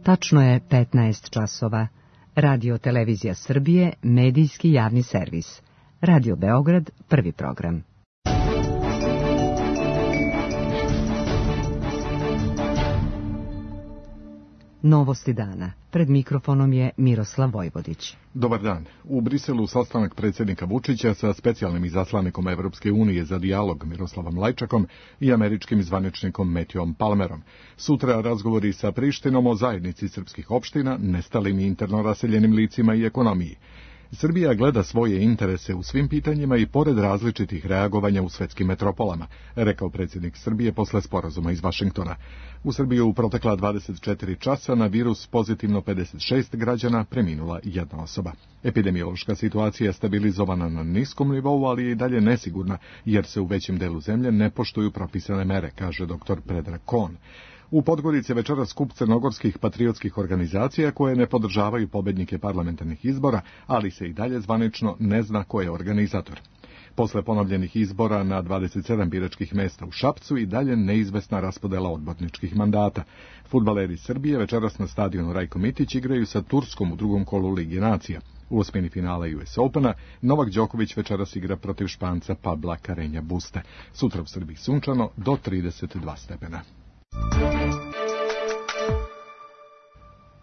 Tačno je 15 časova. Radio Televizija Srbije, medijski javni servis. Radio Beograd, prvi program. Novosti dana. Pred mikrofonom je Miroslav Vojvodić. Dobar dan. U Briselu sastanak predsjednika Vučića sa specijalnim izaslanikom Evropske unije za dijalog Miroslavom Lajčakom i američkim zvaničnikom Matthewom Palmerom. Sutra razgovori sa Prištinom o zajednici srpskih opština, nestalim i interno raseljenim licima i ekonomiji. Srbija gleda svoje interese u svim pitanjima i pored različitih reagovanja u svetskim metropolama, rekao predsjednik Srbije posle sporazuma iz Vašingtona. U Srbiji u protekla 24 časa na virus pozitivno 56 građana, preminula jedna osoba. Epidemiološka situacija je stabilizovana na niskom nivou, ali je i dalje nesigurna, jer se u većem delu zemlje ne poštuju propisane mere, kaže dr. Predrag Kon. U Podgorici večeras skup crnogorskih patriotskih organizacija koje ne podržavaju pobednike parlamentarnih izbora, ali se i dalje zvanično ne zna ko je organizator. Posle ponovljenih izbora na 27 biračkih mesta u Šapcu i dalje neizvesna raspodela odborničkih mandata. Fudbaleri Srbije večeras na stadionu Rajko Mitić igraju sa Turskom u drugom kolu Lige nacija. U osmini finala US Opena Novak Đoković večeras igra protiv Španca Pabla Carreña Buste. Sutra u Srbiji sunčano do 32 stepena.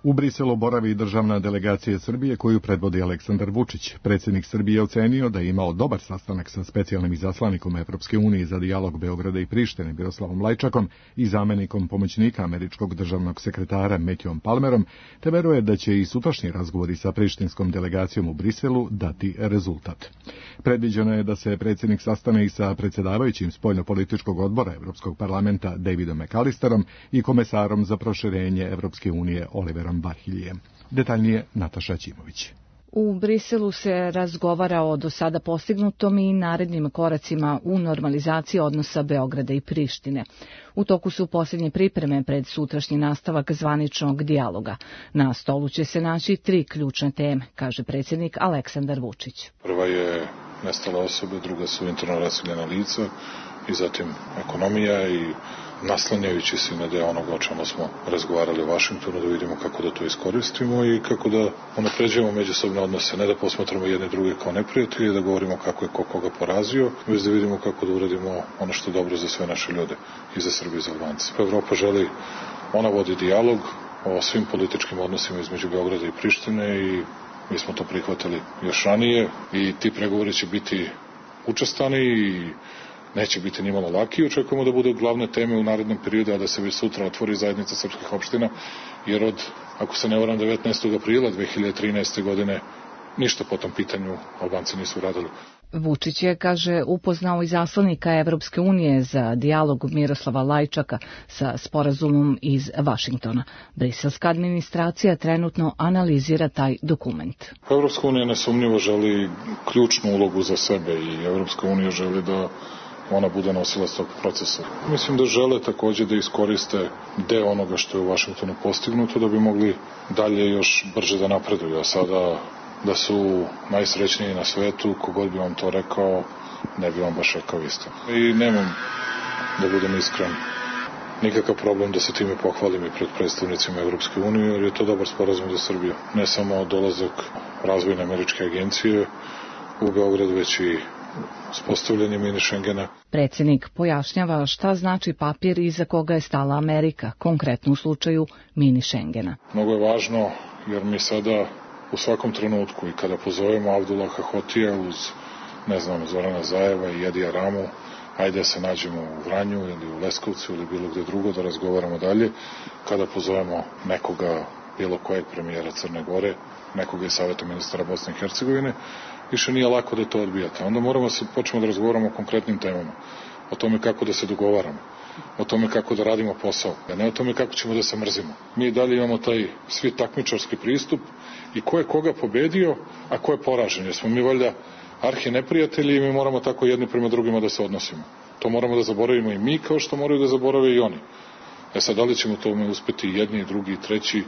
U Briselu boravi državna delegacija Srbije koju predvodi Aleksandar Vučić. Predsjednik Srbije ocenio da je imao dobar sastanak sa specijalnim izaslanikom Evropske unije za dijalog Beograda i Prištine Miroslavom Lajčakom i zamenikom pomoćnika američkog državnog sekretara Matthewom Palmerom, te veruje da će i sutrašnji razgovori sa prištinskom delegacijom u Briselu dati rezultat. Predviđeno je da se predsjednik sastane i sa predsjedavajućim spoljnopolitičkog odbora Evropskog parlamenta Davidom McAllisterom i komesarom za proširenje Evropske unije Oliverom Varhiljem. Detaljnije Nataša Ćimović. U Briselu se razgovara o do sada postignutom i narednim koracima u normalizaciji odnosa Beograda i Prištine. U toku su posljednje pripreme pred sutrašnji nastavak zvaničnog dijaloga. Na stolu će se naći 3 ključne teme, kaže predsjednik Aleksandar Vučić. Prva je nestale osobe, druga su interno raseljena lica i zatim ekonomija i naslanjajući se na deo onoga o čemu smo razgovarali u Vašingtonu, da vidimo kako da to iskoristimo i kako da unapređujemo međusobne odnose, ne da posmatramo jedne druge kao neprijatelje, da govorimo kako je ko koga porazio, već da vidimo kako da uradimo ono što je dobro za sve naše ljude i za Srbiju i za Albance. Evropa želi, ona vodi dijalog o svim političkim odnosima između Beograda i Prištine i mi smo to prihvatili još ranije i ti pregovori će biti učestani i neće biti ni malo laki. Očekujemo da bude glavne teme u narednom periodu, a da se već sutra otvori zajednica srpskih opština, jer od, ako se ne varam, 19. aprila 2013. godine ništa po tom pitanju Albanci nisu uradili. Vučić je, kaže, upoznao izaslanika Evropske unije za dijalog Miroslava Lajčaka sa sporazumom iz Vašingtona. Briselska administracija trenutno analizira taj dokument. Evropska unija nesumnjivo želi ključnu ulogu za sebe i Evropska unija želi da ona bude nosilac tog procesa. Mislim da žele također da iskoriste deo onoga što je u Vašingtonu postignuto da bi mogli dalje još brže da napreduju. A sada da su najsrećniji na svetu, kogod bi vam to rekao, ne bi vam baš rekao isto. I nemam, da budem iskren, nikakav problem da se time pohvalim i pred predstavnicima Evropske unije, jer je to dobar sporazum za Srbiju. Ne samo dolazak razvojne američke agencije u Beograd, već i uspostavljanje mini Šengena. Predsjednik pojašnjava šta znači papir iza koga je stala Amerika, konkretno u slučaju mini Šengena. Mnogo je važno jer mi sada u svakom trenutku i kada pozovemo Abdullaha Hotija uz, ne znam, Zorana Zajeva i Edija Ramu, ajde se nađemo u Vranju ili u Leskovcu ili bilo gde drugo da razgovaramo dalje, kada pozovemo nekoga, bilo kojeg premijera Crne Gore, nekoga iz Saveta ministara Bosne i Hercegovine, više nije lako da to odbijate. Onda moramo se početi da razgovaramo o konkretnim temama, o tome kako da se dogovaramo, o tome kako da radimo posao, a ne o tome kako ćemo da se mrzimo. Mi dalje imamo taj svi takmičarski pristup i ko je koga pobedio, a ko je poražen. Jer smo mi valjda arhi neprijatelji i mi moramo tako jedni prema drugima da se odnosimo. To moramo da zaboravimo i mi kao što moraju da zaborave i oni. Sad, da li ćemo tome uspeti jedni, drugi, treći,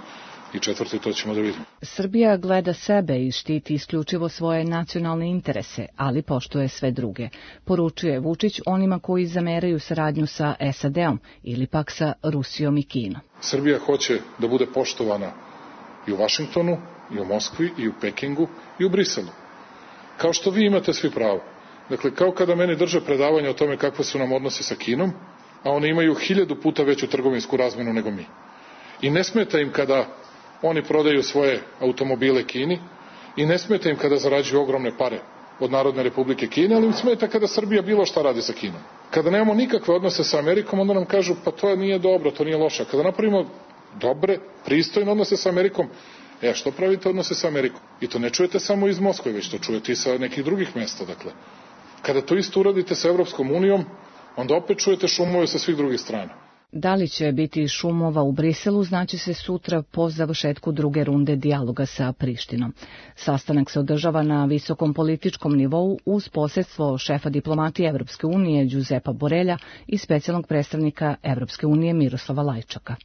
I četvrti, to ćemo da vidimo. Srbija gleda sebe i štiti isključivo svoje nacionalne interese, ali poštuje sve druge. Poručuje Vučić onima koji zameraju saradnju sa SAD-om ili pak sa Rusijom i Kinom. Srbija hoće da bude poštovana i u Vašingtonu, i u Moskvi, i u Pekingu, i u Briselu. Kao što vi imate svi pravo. Dakle, kao kada meni drže predavanje o tome kakve su nam odnosi sa Kinom, a oni imaju 1000 puta veću trgovinsku razmenu nego mi. I ne smeta im kada oni prodaju svoje automobile Kini i ne smeta im kada zarađuju ogromne pare od Narodne Republike Kine, ali im smeta kada Srbija bilo šta radi sa Kinom. Kada nemamo nikakve odnose sa Amerikom, onda nam kažu pa to nije dobro, to nije loše. Kada napravimo dobre, pristojne odnose sa Amerikom, što pravite odnose sa Amerikom? I to ne čujete samo iz Moskve, već to čujete i sa nekih drugih mesta. Dakle, kada to isto uradite sa Evropskom unijom, onda opet čujete šumove sa svih drugih strana. Da li će biti šumova u Briselu, znači se sutra po završetku druge runde dijaloga sa Prištinom. Sastanak se održava na visokom političkom nivou uz posredstvo šefa diplomatije Evropske unije Giuseppa Borrella i specijalnog predstavnika Evropske unije Miroslava Lajčaka.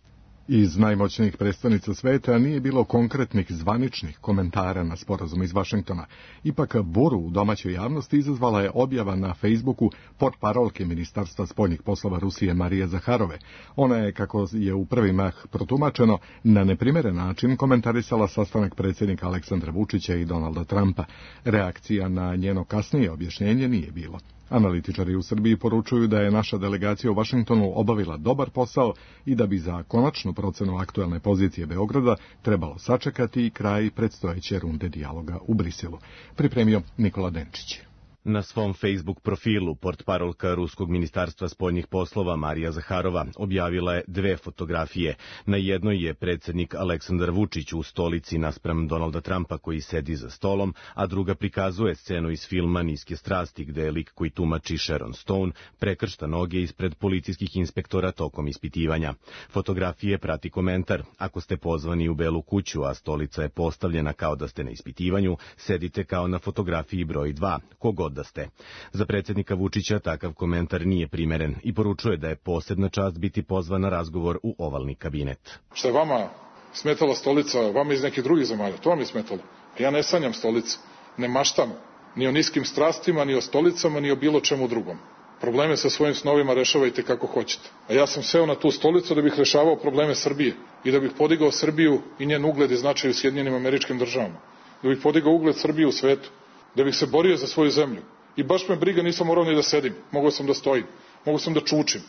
Iz najmoćnijih predstavnica sveta nije bilo konkretnih zvaničnih komentara na sporazum iz Vašingtona. Ipak buru u domaćoj javnosti izazvala je objava na Facebooku portparolke Ministarstva spoljnih poslova Rusije Marije Zaharove. Ona je, kako je u prvi mah protumačeno, na neprimeren način komentarisala sastanak predsjednika Aleksandra Vučića i Donalda Trumpa. Reakcija na njeno kasnije objašnjenje nije bilo. Analitičari u Srbiji poručuju da je naša delegacija u Vašingtonu obavila dobar posao i da bi za konačnu procenu aktuelne pozicije Beograda trebalo sačekati kraj predstojeće runde dijaloga u Briselu. Pripremio Nikola Denčić. Na svom Facebook profilu portparolka Ruskog ministarstva spoljnih poslova Marija Zaharova objavila je 2 fotografije. Na jednoj je predsjednik Aleksandar Vučić u stolici naspram Donalda Trumpa koji sedi za stolom, a druga prikazuje scenu iz filma Niske strasti gde je lik koji tumači Sharon Stone prekršta noge ispred policijskih inspektora tokom ispitivanja. Fotografije prati komentar: ako ste pozvani u Belu kuću, a stolica je postavljena kao da ste na ispitivanju, sedite kao na fotografiji broj 2, kogod da ste. Za predsjednika Vučića takav komentar nije primeren i poručuje da je posebna čast biti pozvan na razgovor u ovalni kabinet. Što je vama smetala stolica, vama iz nekih drugih zemalja, to vam je smetalo. Ja ne sanjam stolicu, ne maštam ni o niskim strastima, ni o stolicama, ni o bilo čemu drugom. Probleme sa svojim snovima rešavajte kako hoćete. A ja sam seo na tu stolicu da bih rešavao probleme Srbije i da bih podigao Srbiju i njen ugled i značaj u Sjedinjenim Američkim Državama. Da bih podigao ugled Srbije u svetu. Da bih se borio za svoju zemlju. I baš me briga, nisam morao ni da sedim. Mogao sam da stojim. Mogao sam da čučim.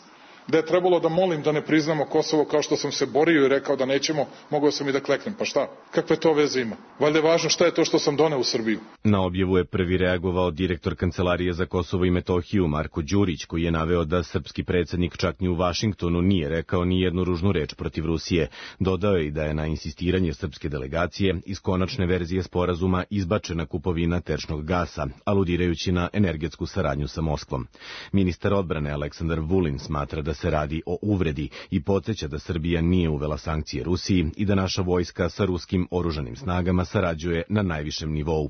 Da je trebalo da molim da ne priznamo Kosovo kao što sam se borio i rekao da nećemo, mogao sam i da kleknem. Pa šta? Kakve to veze ima? Valjda je važno šta je to što sam doneo u Srbiju. Na objavu je prvi reagovao direktor Kancelarije za Kosovo i Metohiju Marko Đurić, koji je naveo da srpski predsjednik čak ni u Vašingtonu nije rekao ni jednu ružnu reč protiv Rusije. Dodao je i da je na insistiranje srpske delegacije iz konačne verzije sporazuma izbačena kupovina tečnog gasa, aludirajući na energetsku saradnju sa Moskvom. Ministar odbrane Aleksandar Vulin smatra da se radi o uvredi i podsjeća da Srbija nije uvela sankcije Rusiji i da naša vojska sa ruskim oružanim snagama sarađuje na najvišem nivou.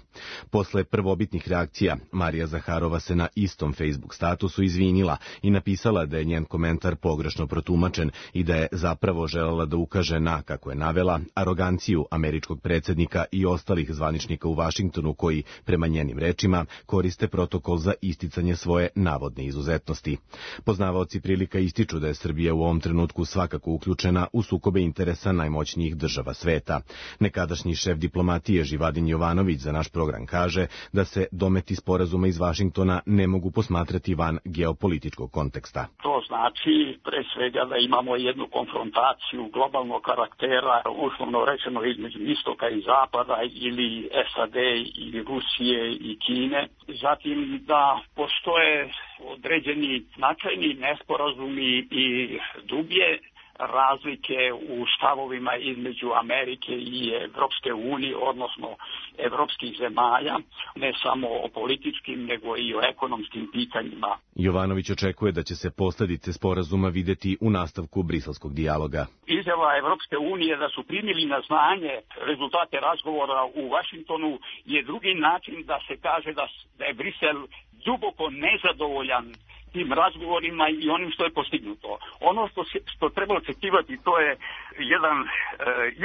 Posle prvobitnih reakcija, Marija Zaharova se na istom Facebook statusu izvinila i napisala da je njen komentar pogrešno protumačen i da je zapravo želela da ukaže na, kako je navela, aroganciju američkog predsjednika i ostalih zvaničnika u Vašingtonu koji, prema njenim rečima, koriste protokol za isticanje svoje navodne izuzetnosti. Poznavaoci prilika ističu da je Srbija u ovom trenutku svakako uključena u sukobe interesa najmoćnijih država sveta. Nekadašnji šef diplomatije Živadin Jovanović za naš program kaže da se dometi sporazuma iz Vašingtona ne mogu posmatrati van geopolitičkog konteksta. To znači pre svega da imamo jednu konfrontaciju globalnog karaktera, uslovno rečeno između istoka i zapada ili SAD ili Rusije i Kine. Zatim da postoje određeni značajni nesporazumi i dublje razlike u stavovima između Amerike i Evropske unije, odnosno evropskih zemalja, ne samo o političkim, nego i o ekonomskim pitanjima. Jovanović očekuje da će se posljedice sporazuma videti u nastavku briselskog dijaloga. Izjava Evropske unije da su primili na znanje rezultate razgovora u Vašingtonu je drugi način da se kaže da je Brisel duboko nezadovoljan tim razgovorima i onim što je postignuto. Ono što treba očekivati, to je jedan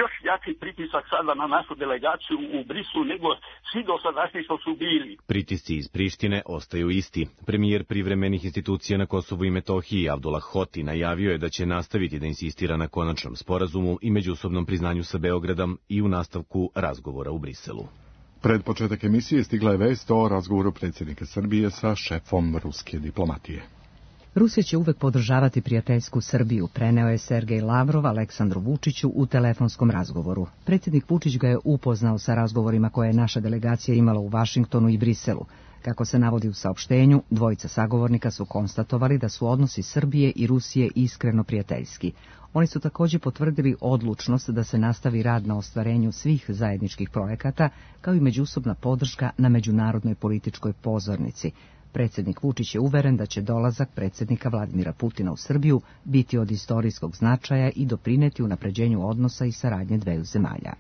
još jači pritisak sada na našu delegaciju u Briselu nego svi dosadašnji što su bili. Pritisci iz Prištine ostaju isti. Premijer privremenih institucija na Kosovu i Metohiji Abdullah Hoti najavio je da će nastaviti da insistira na konačnom sporazumu i međusobnom priznanju sa Beogradom i u nastavku razgovora u Briselu. Pred početak emisije stigla je vest o razgovoru predsjednika Srbije sa šefom ruske diplomatije. Rusija će uvek podržavati prijateljsku Srbiju, preneo je Sergej Lavrov Aleksandru Vučiću u telefonskom razgovoru. Predsjednik Vučić ga je upoznao sa razgovorima koje je naša delegacija imala u Vašingtonu i Briselu. Kako se navodi u saopštenju, dvojica sagovornika su konstatovali da su odnosi Srbije i Rusije iskreno prijateljski. Oni su također potvrdili odlučnost da se nastavi rad na ostvarenju svih zajedničkih projekata, kao i međusobna podrška na međunarodnoj političkoj pozornici. Predsjednik Vučić je uveren da će dolazak predsjednika Vladimira Putina u Srbiju biti od istorijskog značaja i doprineti unapređenju odnosa i saradnje dveju zemalja.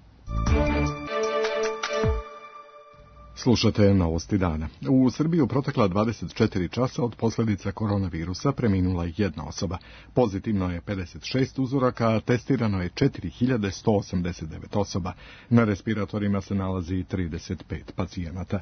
Slušate novosti dana. U Srbiji u protekla 24 časa od posljedica koronavirusa preminula jedna osoba. Pozitivno je 56 uzoraka, a testirano je 4189 osoba. Na respiratorima se nalazi 35 pacijenata.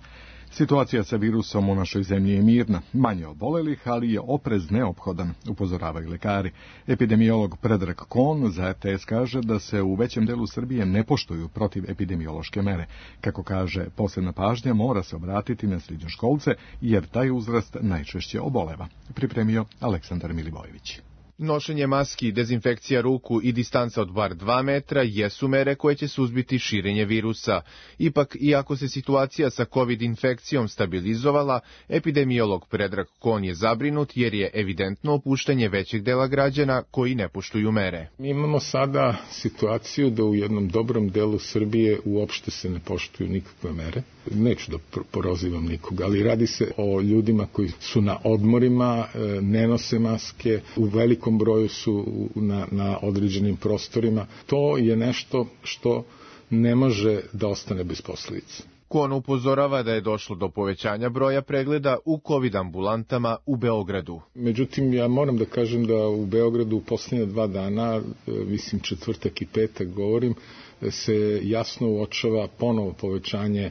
Situacija sa virusom u našoj zemlji je mirna, manje obolelih, ali je oprez neophodan, upozoravaju lekari. Epidemiolog Predrag Kon za RTS kaže da se u većem delu Srbije ne poštuju protivepidemiološke mere. Kako kaže, posebna pažnja mora se obratiti na srednjoškolce, jer taj uzrast najčešće oboleva. Pripremio Aleksandar Milivojević. Nošenje maski, dezinfekcija ruku i distanca od bar 2 metra jesu mere koje će suzbiti širenje virusa. Ipak, iako se situacija sa COVID infekcijom stabilizovala, epidemiolog Predrag Kon je zabrinut jer je evidentno opuštanje većeg dela građana koji ne poštuju mere. Mi imamo sada situaciju da u jednom dobrom delu Srbije uopšte se ne poštuju nikakve mere. Neću da porozivam nikoga, ali radi se o ljudima koji su na odmorima, ne nose maske, u velikom broju su na određenim prostorima. To je nešto što ne može da ostane bez posljedica. Kon upozorava da je došlo do povećanja broja pregleda u COVID ambulantama u Beogradu. Međutim, ja moram da kažem da u Beogradu u posljednje 2 dana, mislim četvrtak i petak govorim, se jasno uočava ponovo povećanje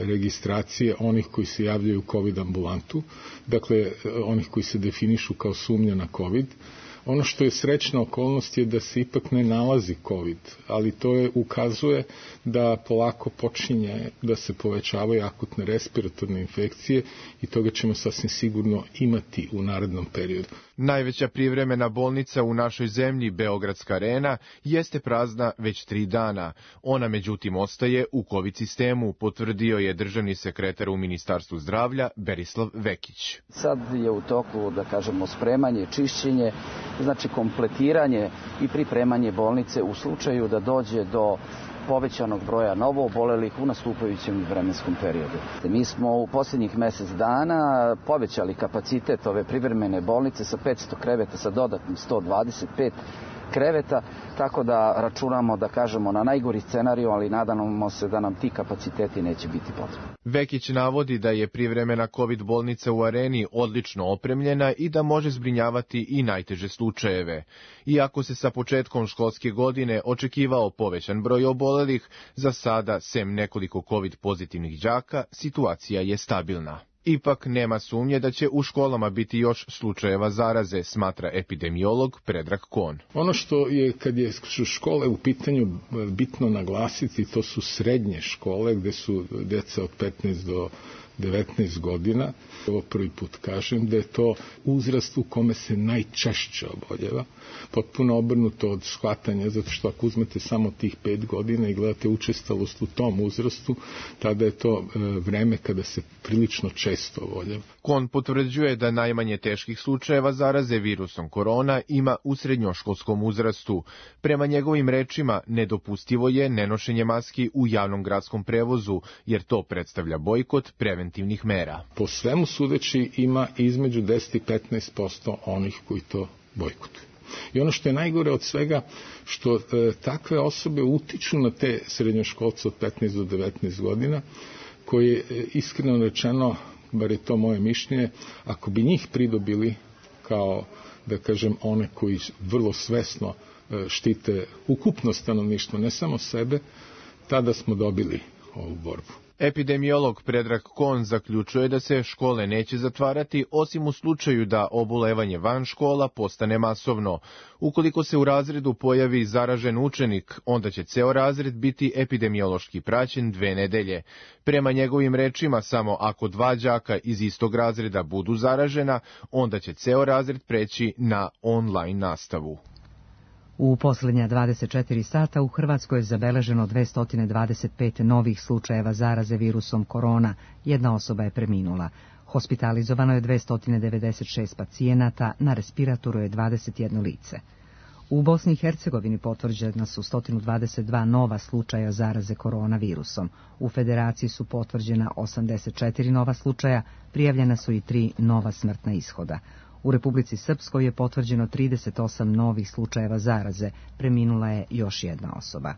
registracije onih koji se javljaju u COVID ambulantu, dakle onih koji se definišu kao sumnja na COVID. Ono što je srećna okolnost je da se ipak ne nalazi COVID, ali to ukazuje da polako počinje da se povećavaju akutne respiratorne infekcije i toga ćemo sasvim sigurno imati u narednom periodu. Najveća privremena bolnica u našoj zemlji, Beogradska arena, jeste prazna već 3 dana. Ona međutim ostaje u COVID sistemu, potvrdio je državni sekretar u Ministarstvu zdravlja Berislav Vekić. Sad je u toku, da kažemo, spremanje, čišćenje, znači kompletiranje i pripremanje bolnice u slučaju da dođe do povećanog broja novoobolelih u nastupajućem vremenskom periodu. Mi smo u posljednjih mjesec dana povećali kapacitet ove privremene bolnice sa 500 kreveta sa dodatnim 125 kreveta, tako da računamo, da kažemo, na najgori scenariju, ali nadamo se da nam ti kapaciteti neće biti potrebni. Vekić navodi da je privremena COVID bolnica u Areni odlično opremljena i da može zbrinjavati i najteže slučajeve. Iako se sa početkom školske godine očekivao povećan broj obolelih, za sada, sem nekoliko COVID pozitivnih đaka, situacija je stabilna. Ipak nema sumnje da će u školama biti još slučajeva zaraze, smatra epidemiolog Predrag Kon. Ono što je, kad je škole u pitanju, bitno naglasiti, to su srednje škole gde su djeca od 15 do 19 godina. Ovo prvi put kažem da je to uzrast u kome se najčešće oboljeva. Potpuno obrnuto od shvatanja, zato što ako uzmete samo tih 5 godina i gledate učestalost u tom uzrastu, tada je to vreme kada se prilično često oboljeva. Kon potvrđuje da najmanje teških slučajeva zaraze virusom korona ima u srednjoškolskom uzrastu. Prema njegovim rečima, nedopustivo je nenošenje maski u javnom gradskom prevozu, jer to predstavlja bojkot preventivnih mera. Po svemu sudeći ima između 10 i 15% onih koji to bojkotuju. I ono što je najgore od svega, što takve osobe utiču na te srednjoškolce od 15 do 19 godina, koji iskreno rečeno, bar je to moje mišljenje, ako bi njih pridobili kao, da kažem, one koji vrlo svesno štite ukupno stanovništvo, ne samo sebe, tada smo dobili ovu borbu. Epidemiolog Predrag Kon zaključuje da se škole neće zatvarati, osim u slučaju da obolevanje van škola postane masovno. Ukoliko se u razredu pojavi zaražen učenik, onda će ceo razred biti epidemiološki praćen 2 nedelje. Prema njegovim rečima, samo ako 2 đaka iz istog razreda budu zaražena, onda će ceo razred preći na online nastavu. U posljednja 24 sata u Hrvatskoj je zabeleženo 225 novih slučajeva zaraze virusom korona. 1 osoba je preminula. Hospitalizovano je 296 pacijenata, na respiratoru je 21 lice. U Bosni i Hercegovini potvrđena su 122 nova slučaja zaraze koronavirusom. U Federaciji su potvrđena 84 nova slučaja, prijavljena su i 3 nova smrtna ishoda. U Republici Srpskoj je potvrđeno 38 novih slučajeva zaraze, preminula je još 1 osoba.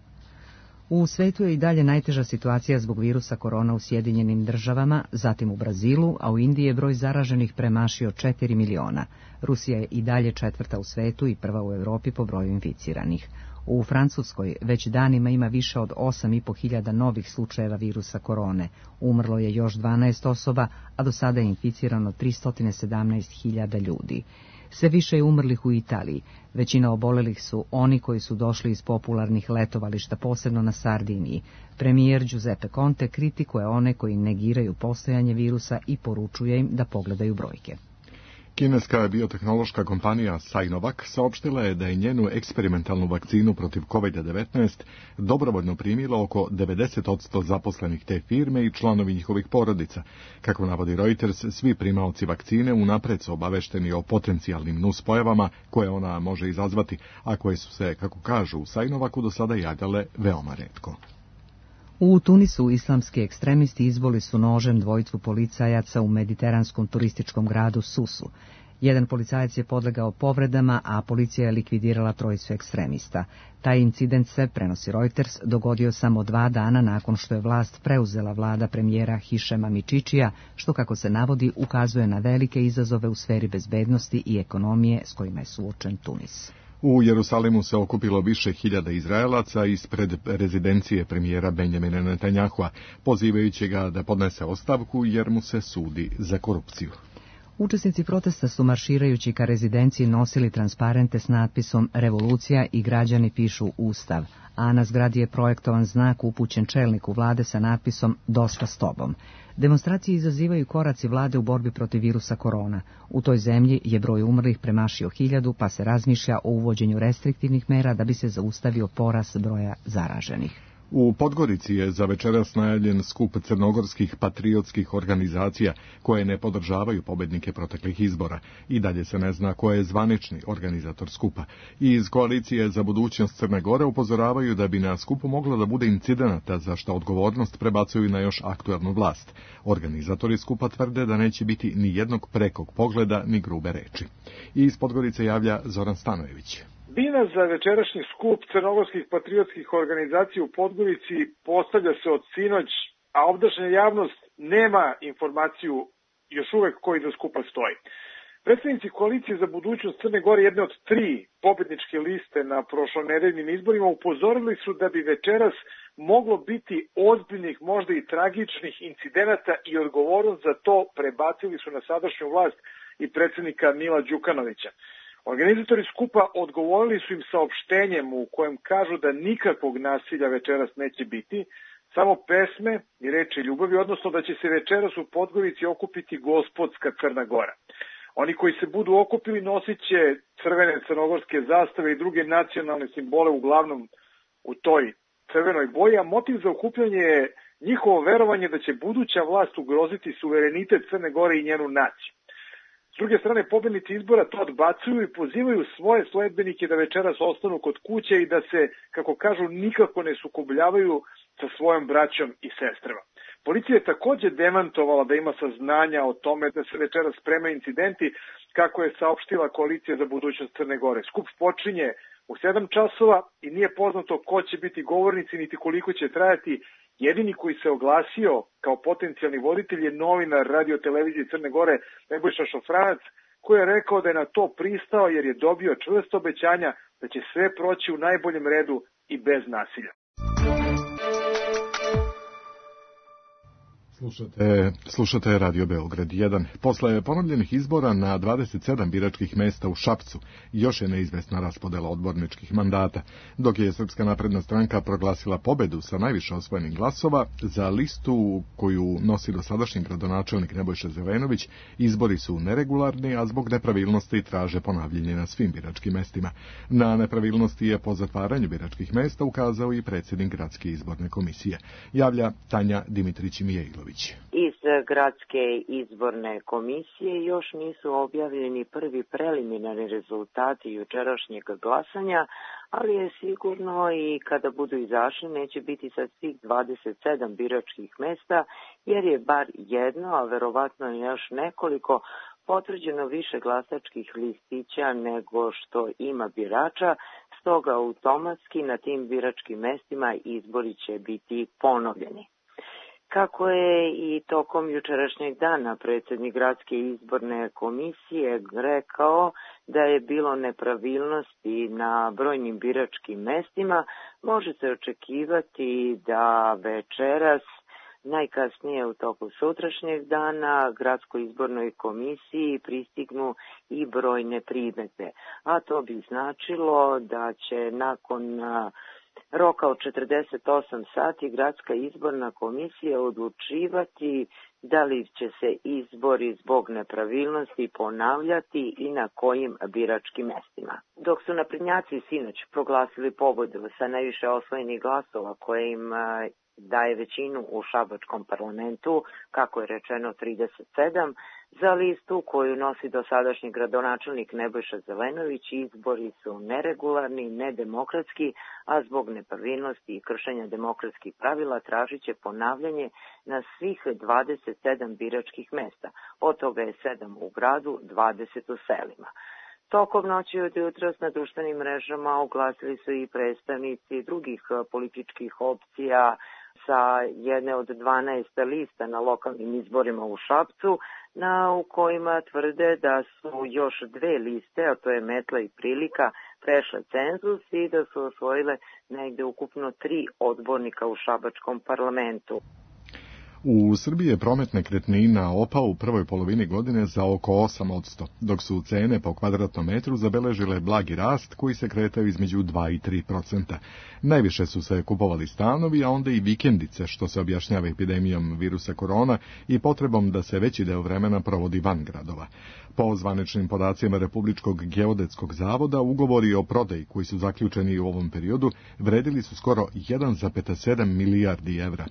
U svetu je i dalje najteža situacija zbog virusa korona u Sjedinjenim Državama, zatim u Brazilu, a u Indiji je broj zaraženih premašio 4 miliona. Rusija je i dalje 4. u svetu i 1. u Europi po broju inficiranih. U Francuskoj već danima ima više od 8.500 novih slučajeva virusa korone. Umrlo je još 12 osoba, a do sada je inficirano 317.000 ljudi. Sve više je umrlih u Italiji. Većina obolelih su oni koji su došli iz popularnih letovališta, posebno na Sardiniji. Premijer Giuseppe Conte kritikuje one koji negiraju postojanje virusa i poručuje im da pogledaju brojke. Kineska biotehnološka kompanija Sinovac saopštila je da je njenu eksperimentalnu vakcinu protiv COVID-19 dobrovoljno primilo oko 90% zaposlenih te firme i članovi njihovih porodica. Kako navodi Reuters, svi primaoci vakcine unapred su obavešteni o potencijalnim nuspojavama koje ona može izazvati, a koje su se, kako kažu u Sinovacu, do sada javljale veoma retko. U Tunisu islamski ekstremisti izboli su nožem 2 policajaca u mediteranskom turističkom gradu Susu. Jedan policajac je podlegao povredama, a policija je likvidirala 3 ekstremista. Taj incident se, prenosi Reuters, dogodio samo 2 dana nakon što je vlast preuzela vlada premijera Hišema Mičičija, što, kako se navodi, ukazuje na velike izazove u sferi bezbednosti i ekonomije s kojima je suočen Tunis. U Jerusalimu se okupilo više hiljada Izraelaca ispred rezidencije premijera Benjamina Netanjahua, pozivajući ga da podnese ostavku jer mu se sudi za korupciju. Učesnici protesta su marširajući ka rezidenciji nosili transparente s natpisom Revolucija i građani pišu Ustav, a na zgradi je projektovan znak upućen čelniku vlade sa natpisom Dosta s tobom. Demonstracije izazivaju koraci vlade u borbi protiv virusa korona. U toj zemlji je broj umrlih premašio 1000, pa se razmišlja o uvođenju restriktivnih mera da bi se zaustavio porast broja zaraženih. U Podgorici je za večeras najavljen skup crnogorskih patriotskih organizacija koje ne podržavaju pobednike proteklih izbora. I dalje se ne zna ko je zvanični organizator skupa. I iz Koalicije za budućnost Crne Gore upozoravaju da bi na skupu moglo da bude incidenata za što odgovornost prebacuju na još aktuelnu vlast. Organizatori skupa tvrde da neće biti ni jednog prekog pogleda ni grube reči. I iz Podgorice javlja Zoran Stanojević. Bina za večerašnji skup crnogorskih patriotskih organizacija u Podgorici postavlja se od sinoć, a ovdašnja javnost nema informaciju još uvek koji do skupa stoji. Predstavnici Koalicije za budućnost Crne Gore, jedne od 3 pobedničke liste na prošlonedeljnim izborima, upozorili su da bi večeras moglo biti ozbiljnih, možda i tragičnih incidenata i odgovornost za to prebacili su na sadašnju vlast i predsednika Mila Đukanovića. Organizatori skupa odgovorili su im saopštenjem u kojem kažu da nikakvog nasilja večeras neće biti, samo pesme i reči ljubavi, odnosno da će se večeras u Podgorici okupiti gospodska Crna Gora. Oni koji se budu okupili nosit će crvene crnogorske zastave i druge nacionalne simbole, uglavnom u toj crvenoj boji, a motiv za okupljanje je njihovo verovanje da će buduća vlast ugroziti suverenitet Crne Gore i njenu naciju. S druge strane, pobednici izbora to odbacuju i pozivaju svoje sledbenike da večeras ostanu kod kuće i da se, kako kažu, nikako ne sukobljavaju sa svojom braćom i sestrama. Policija je takođe demantovala da ima saznanja o tome da se večeras spremaju incidenti, kako je saopštila Koalicija za budućnost Crne Gore. Skup počinje u 7 časova i nije poznato ko će biti govornici niti koliko će trajati, Jedini koji se oglasio kao potencijalni voditelj je novinar radio televizije Crne Gore Nebojša Šofranac, koji je rekao da je na to pristao jer je dobio čvrsto obećanja da će sve proći u najboljem redu i bez nasilja. Slušate Radio Beograd 1. Posle ponovljenih izbora na 27 biračkih mesta u Šapcu još je neizvesna raspodela odborničkih mandata, dok je Srpska napredna stranka proglasila pobedu sa najviše osvojenih glasova. Za listu koju nosi dosadašnji gradonačelnik Nebojša Zelenović, izbori su neregularni, a zbog nepravilnosti traže ponavljanje na svim biračkim mestima. Na nepravilnosti je po zatvaranju biračkih mesta ukazao i predsjednik Gradske izborne komisije. Javlja Tanja Dimitrić-Mijailović. Iz Gradske izborne komisije još nisu objavljeni prvi preliminarni rezultati jučerašnjeg glasanja, ali je sigurno i kada budu izašli neće biti sa svih 27 biračkih mesta, jer je bar jedno, a verovatno još nekoliko, potvrđeno više glasačkih listića nego što ima birača, stoga automatski na tim biračkim mestima izbori će biti ponovljeni. Kako je i tokom jučerašnjeg dana predsjednik Gradske izborne komisije rekao da je bilo nepravilnosti na brojnim biračkim mestima, može se očekivati da večeras, najkasnije u toku sutrašnjeg dana, Gradskoj izbornoj komisiji pristignu i brojne primjedbe. A to bi značilo da će nakon roka od 48 sati Gradska izborna komisija odlučivati da li će se izbori zbog nepravilnosti ponavljati i na kojim biračkim mestima. Dok su naprednjaci sinoć proglasili pobedu sa najviše osvojenih glasova koje im daje većinu u šabačkom parlamentu, kako je rečeno 37, za listu koju nosi dosadašnji gradonačelnik Nebojša Zelenović, izbori su neregularni, nedemokratski, a zbog nepravilnosti i kršenja demokratskih pravila tražit će ponavljanje na svih 27 biračkih mesta. Od toga je 7 u gradu, 20 u selima. Tokom noći od jutros na društvenim mrežama oglasili su i predstavnici drugih političkih opcija sa jedne od 12 lista na lokalnim izborima u Šapcu, u kojima tvrde da su još dve liste, a to je Metla i Prilika, prešle cenzus i da su osvojile negde ukupno 3 odbornika u šabačkom parlamentu. U Srbiji je promet nekretnina opao u prvoj polovini godine za oko 8%, dok su cene po kvadratnom metru zabeležile blagi rast koji se kretao između 2 i 3%. Najviše su se kupovali stanovi, a onda i vikendice, što se objašnjava epidemijom virusa korona i potrebom da se veći deo vremena provodi van gradova. Po zvaničnim podacima Republičkog geodetskog zavoda, ugovori o prodaji koji su zaključeni u ovom periodu vredili su skoro 1,7 milijardi evra.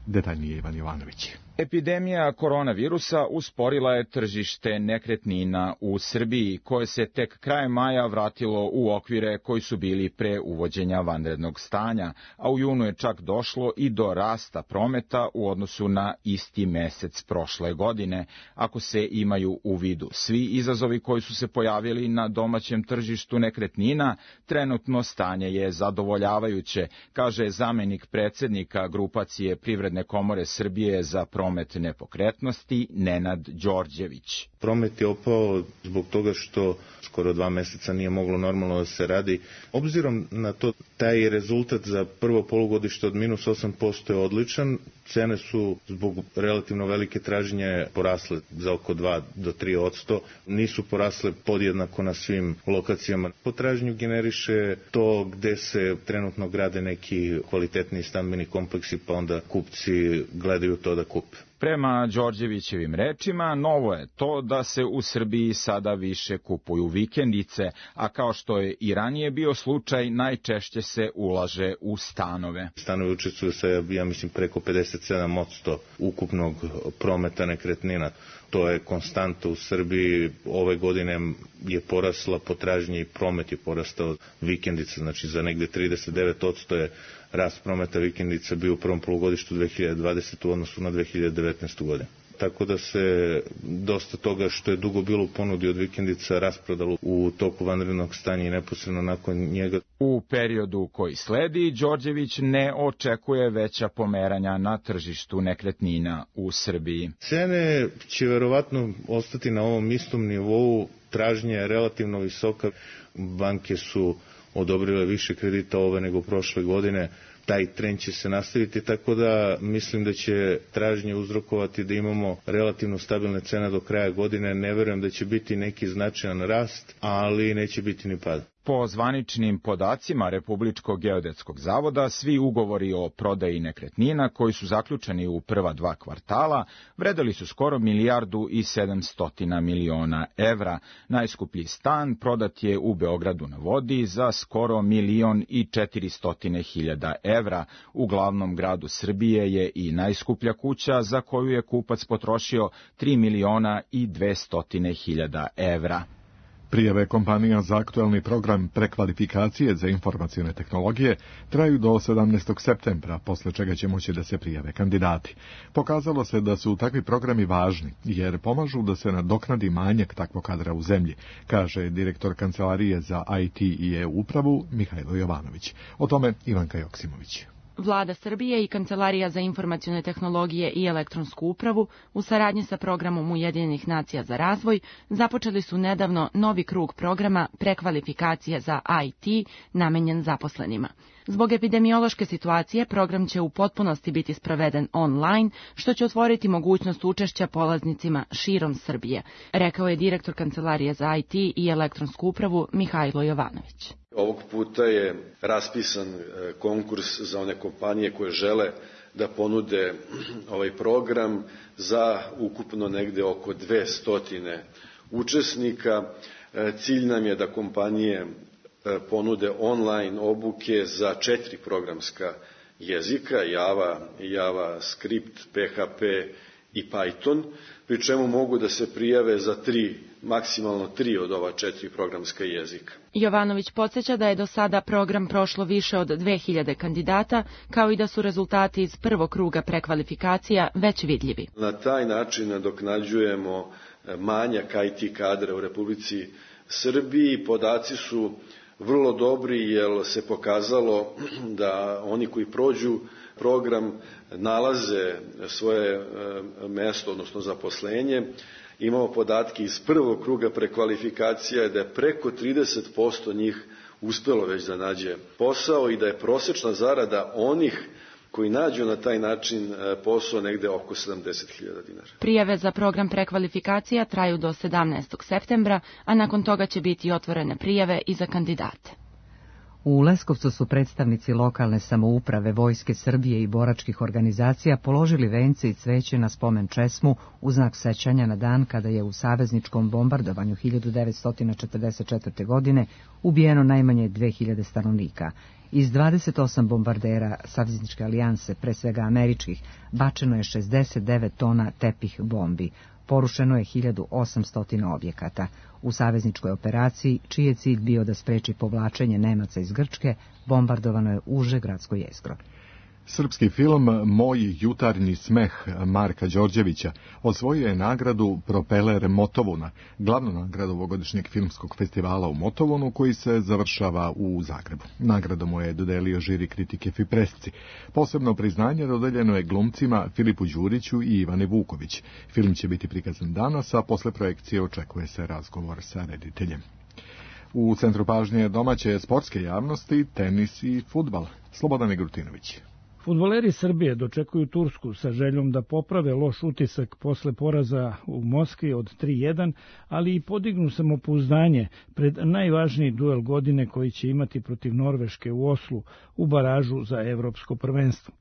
Detaljnije Ivan Jovanović. Epidemija koronavirusa usporila je tržište nekretnina u Srbiji, koje se tek krajem maja vratilo u okvire koji su bili pre uvođenja vanrednog stanja, a u junu je čak došlo i do rasta prometa u odnosu na isti mesec prošle godine, ako se imaju u vidu svi izazovi koji su se pojavili na domaćem tržištu nekretnina. Trenutno stanje je zadovoljavajuće, kaže zamenik predsednika grupacije Privredne komore Srbije za promet nepokretnosti Nenad Đorđević. Promet je opao zbog toga što skoro 2 meseca nije moglo normalno da se radi. Obzirom na to, taj rezultat za prvo polugodište od minus 8% je odličan. Cene su zbog relativno velike tražnje porasle za oko 2 do 3%. Nisu porasle podjednako na svim lokacijama. Potražnju generiše to gde se trenutno grade neki kvalitetni stambeni kompleksi, pa onda kupci gledaju to da kupe. Prema Đorđevićevim rečima, novo je to da se u Srbiji sada više kupuju vikendice, a kao što je i ranije bio slučaj, najčešće se ulaže u stanove. Stanovi učestvuju sa, ja mislim, preko 57% ukupnog prometa nekretnina. To je konstanta u Srbiji. Ove godine je porasla potražnja i promet je porastao vikendica, znači za negde 39% je rast prometa vikendica bio u prvom polugodištu 2020. u odnosu na 2019. godinu. tako da se dosta toga što je dugo bilo u ponudi od vikendica rasprodalo u toku vanrednog stanja i neposredno nakon njega. U periodu koji sledi, Đorđević ne očekuje veća pomeranja na tržištu nekretnina u Srbiji. Cene će verovatno ostati na ovom istom nivou, tražnja je relativno visoka, banke su odobrile više kredita ove nego prošle godine, taj trend će se nastaviti, tako da mislim da će tražnje uzrokovati da imamo relativno stabilne cene do kraja godine. Ne verujem da će biti neki značajan rast, ali neće biti ni pad. Po zvaničnim podacima Republičkog geodetskog zavoda, svi ugovori o prodaji nekretnina koji su zaključeni u prva 2 kvartala vredeli su skoro 1.700.000.000 evra. Najskuplji stan prodat je u Beogradu na vodi za skoro 1.400.000 evra. U glavnom gradu Srbije je i najskuplja kuća za koju je kupac potrošio 3.200.000 evra. Prijave kompanija za aktuelni program prekvalifikacije za informacione tehnologije traju do 17. septembra, posle čega će moći da se prijave kandidati. Pokazalo se da su takvi programi važni, jer pomažu da se nadoknadi manjak takvog kadra u zemlji, kaže direktor Kancelarije za IT i e-upravu Mihajlo Jovanović. O tome Ivanka Joksimović. Vlada Srbije i Kancelarija za informacione tehnologije i elektronsku upravu u saradnji sa programom Ujedinjenih nacija za razvoj započeli su nedavno novi krug programa prekvalifikacije za IT namenjen zaposlenima. Zbog epidemiološke situacije program će u potpunosti biti sproveden online, što će otvoriti mogućnost učešća polaznicima širom Srbije, rekao je direktor Kancelarije za IT i elektronsku upravu Mihajlo Jovanović. Ovog puta je raspisan konkurs za one kompanije koje žele da ponude ovaj program za ukupno negde oko 200 učesnika. Cilj nam je da kompanije ponude online obuke za 4 programska jezika, Java, Script, PHP i Python, pri čemu mogu da se prijave za maksimalno 3 od ova 4 programska jezika. Jovanović podsjeća da je do sada program prošlo više od 2000 kandidata, kao i da su rezultati iz prvog kruga prekvalifikacija već vidljivi. Na taj način nadoknađujemo manjak IT kadra u Republici Srbiji. Podaci su vrlo dobri jer se pokazalo da oni koji prođu program nalaze svoje mesto, odnosno zaposlenje. Imamo podatke iz prvog kruga prekvalifikacija da je preko 30% njih uspelo već da nađe posao i da je prosečna zarada onih koji nađu na taj način posao negde oko 70.000 dinara. Prijave za program prekvalifikacija traju do 17. septembra, a nakon toga će biti otvorene prijave i za kandidate. U Leskovcu su predstavnici lokalne samouprave, Vojske Srbije i boračkih organizacija položili vence i cveće na spomen česmu u znak sećanja na dan kada je u savezničkom bombardovanju 1944. godine ubijeno najmanje 2000 stanovnika. Iz 28 bombardera savezničke alijanse, pre svega američkih, bačeno je 69 tona tepih bombi. Porušeno je 1800 objekata. U savezničkoj operaciji, čiji je cilj bio da spreči povlačenje Nemaca iz Grčke, bombardovano je uže gradsko jezgro. Srpski film Moj jutarnji smeh Marka Đorđevića osvojio je nagradu Propeler Motovuna, glavnu nagradu ovogodišnjeg filmskog festivala u Motovunu koji se završava u Zagrebu. Nagradu mu je dodelio žiri kritike Fipresci. Posebno priznanje dodeljeno je glumcima Filipu Đuriću i Ivane Vuković. Film će biti prikazan danas, a posle projekcije očekuje se razgovor sa rediteljem. U centru pažnje domaće sportske javnosti, tenis i fudbal. Slobodan Migrutinović. Fudbaleri Srbije dočekuju Tursku sa željom da poprave loš utisak posle poraza u Moskvi od 3:1, ali i podignu samopouzdanje pred najvažniji duel godine koji će imati protiv Norveške u Oslu u baražu za evropsko prvenstvo.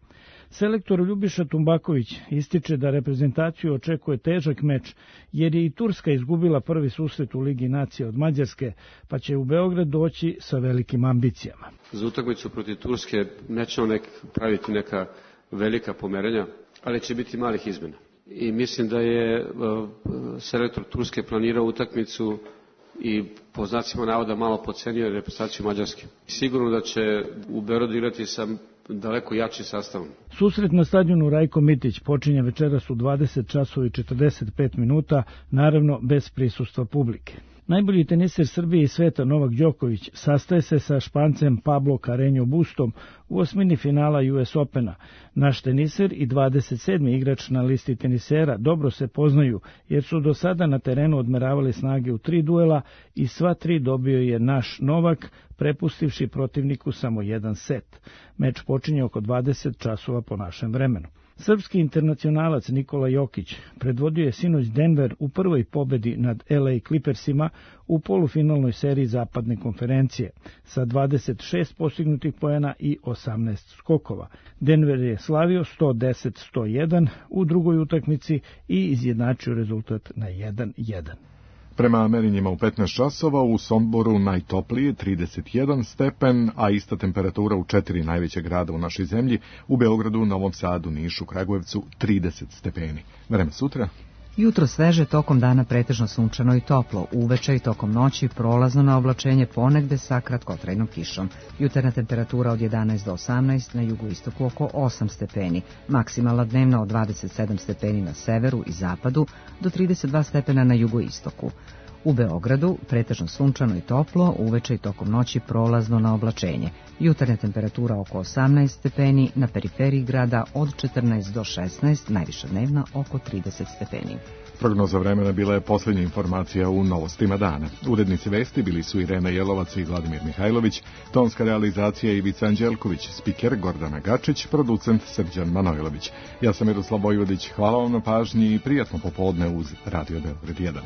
Selektor Ljubiša Tumbaković ističe da reprezentaciju očekuje težak meč, jer je i Turska izgubila prvi susret u Ligi nacija od Mađarske, pa će u Beograd doći sa velikim ambicijama. Za utakmicu protiv Turske nećemo praviti neka velika pomeranja, ali će biti malih izmena. I mislim da je selektor Turske planirao utakmicu i po znacima navoda malo podcenio reprezentaciju Mađarske. Sigurno da će u Beogradu igrati sa daleko jači sastavom. Susret na stadionu Rajko Mitić počinje večeras u 20 časova i 45 minuta, naravno bez prisustva publike. Najbolji teniser Srbije i sveta Novak Đoković sastaje se sa Špancem Pablo Carreño Bustom u osmini finala US Opena. Naš teniser i 27. igrač na listi tenisera dobro se poznaju, jer su do sada na terenu odmeravali snage u 3 duela i sva 3 dobio je naš Novak, prepustivši protivniku samo jedan set. Meč počinje oko 20 časova po našem vremenu. Srpski internacionalac Nikola Jokić predvodio je sinoć Denver u prvoj pobedi nad LA Clippersima u polufinalnoj seriji zapadne konferencije sa 26 postignutih poena i 18 skokova. Denver je slavio 110-101 u drugoj utakmici i izjednačio rezultat na 1-1. Prema merenjima u 15 časova u Somboru najtoplije 31 stepen, a ista temperatura u 4 najveće grada u našoj zemlji, u Beogradu, Novom Sadu, Nišu, Kragujevcu 30 stepeni. Vreme sutra? Jutro sveže, tokom dana pretežno sunčano i toplo, uveče i tokom noći prolazno na oblačenje, ponegde sa kratkotrajnom kišom. Jutarnja temperatura od 11 do 18, na jugoistoku oko 8 stepeni, maksimalna dnevna od 27 stepeni na severu i zapadu do 32 stepena na jugoistoku. U Beogradu pretežno sunčano i toplo, uveče i tokom noći prolazno na oblačenje. Jutarnja temperatura oko 18 stepeni, na periferiji grada od 14 do 16, najviša dnevna oko 30 stepeni. Prognoza vremena bila je posljednja informacija u Novostima dana. Urednici vesti bili su Irena Jelovac i Vladimir Mihajlović, tonska realizacija Ivica Anđelković, spiker Gordana Gačić, producent Srđan Manojlović. Ja sam Miroslav Vojvodić, hvala vam na pažnji i prijatno popodne uz Radio Beograd 1.